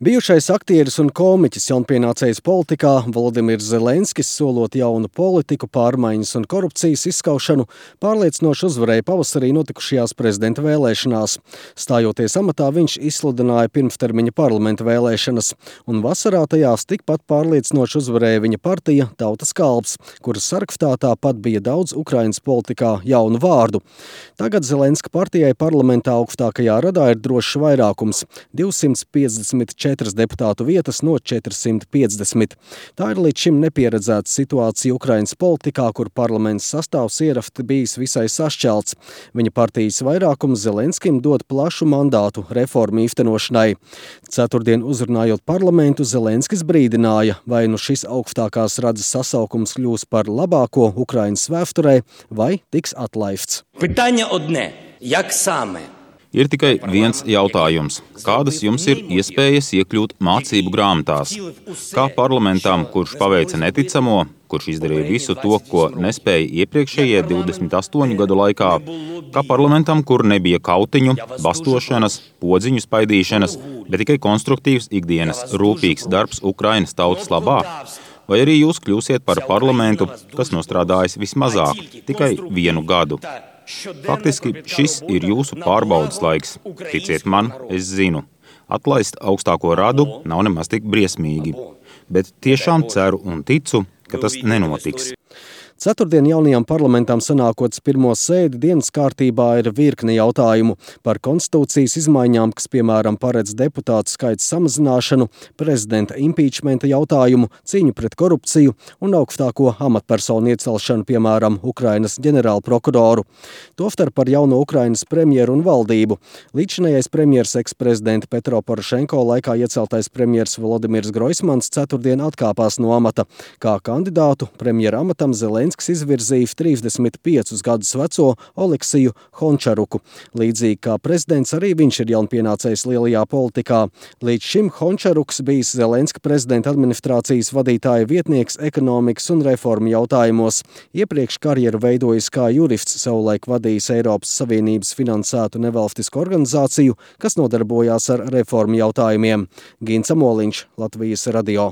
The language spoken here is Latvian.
Bijušais aktieris un komiķis jaunpienācējs politikā Volodimirs Zelenskis, solot jaunu politiku, pārmaiņas un korupcijas izskaušanu, pārliecinoši uzvarēja pavasarī notikušajās prezidenta vēlēšanās. Stājoties amatā, viņš izsludināja pirmstermiņa parlamenta vēlēšanas, un vasarā tajās tikpat pārliecinoši uzvarēja viņa partija Tautas kalps, kuras sarakstā tāpat bija daudz Ukrainas politikā jaunu vārdu. Tagad Zelenska partijai parlamentā augstākajā radā ir drošs vairākums – 254 deputātu vietas no 450. Tā ir līdz šim nepieredzēta situācija Ukrainas politikā, kur parlaments sastāvs ierafti bijis visai sašķelts. Viņa partijas vairākums Zelenskim dod plašu mandātu reformu īstenošanai. Ceturtdien uzrunājot parlamentu, Zelenskis brīdināja, vai nu šis augstākās radzes sasaukums kļūs par labāko Ukrainas vēsturē, vai tiks atlaists. Питання одне – як саме? Ir tikai viens jautājums. Kādas jums ir iespējas iekļūt mācību grāmatās? Kā parlamentam, kurš paveica neticamo, kurš izdarīja visu to, ko nespēja iepriekšējie 28 gadu laikā, kā parlamentam, kur nebija kautiņu, bastošanas, podziņu spaidīšanas, bet tikai konstruktīvs ikdienas rūpīgs darbs Ukrainas tautas labā? Vai arī jūs kļūsiet par parlamentu, kas nostrādājis vismazāk, tikai 1 gadu? Faktiski šis ir jūsu pārbaudas laiks. Ticiet man, es zinu. Atlaist augstāko radu nav nemaz tik briesmīgi. Bet tiešām ceru un ticu, ka tas nenotiks. Ceturtdien jaunajām parlamentam sanākots pirmo sēdi dienas kārtībā ir virkne jautājumu par konstitūcijas izmaiņām, kas, piemēram, paredz deputātu skaita samazināšanu, prezidenta impeachmenta jautājumu, cīņu pret korupciju un augstāko amatpersonu iecelšanu, piemēram, Ukrainas ģenerālprokuroru. Tostarp par jauno Ukrainas premjeru un valdību. Līdzinājais premjers eksprezidenta Petro Porošenko laikā ieceltais premjers Volodimirs Groismans ceturtdien atkāpās no amata. Kā kandidātu premjera amatam Zelenskis izvirzījis 35 gadus veco Oleksiju Hončaruku. Līdzīgi kā prezidents, arī viņš ir jaunpienācējs lielajā politikā. Līdz šim Hončaruks bijis Zelenska prezidenta administrācijas vadītāja vietnieks ekonomikas un reformu jautājumos. Iepriekš karjeru veidojis kā jurists, savulaik vadījis Eiropas Savienības finansētu nevalstisku organizāciju, kas nodarbojās ar reformu jautājumiem. Gins Amoliņš, Latvijas radio.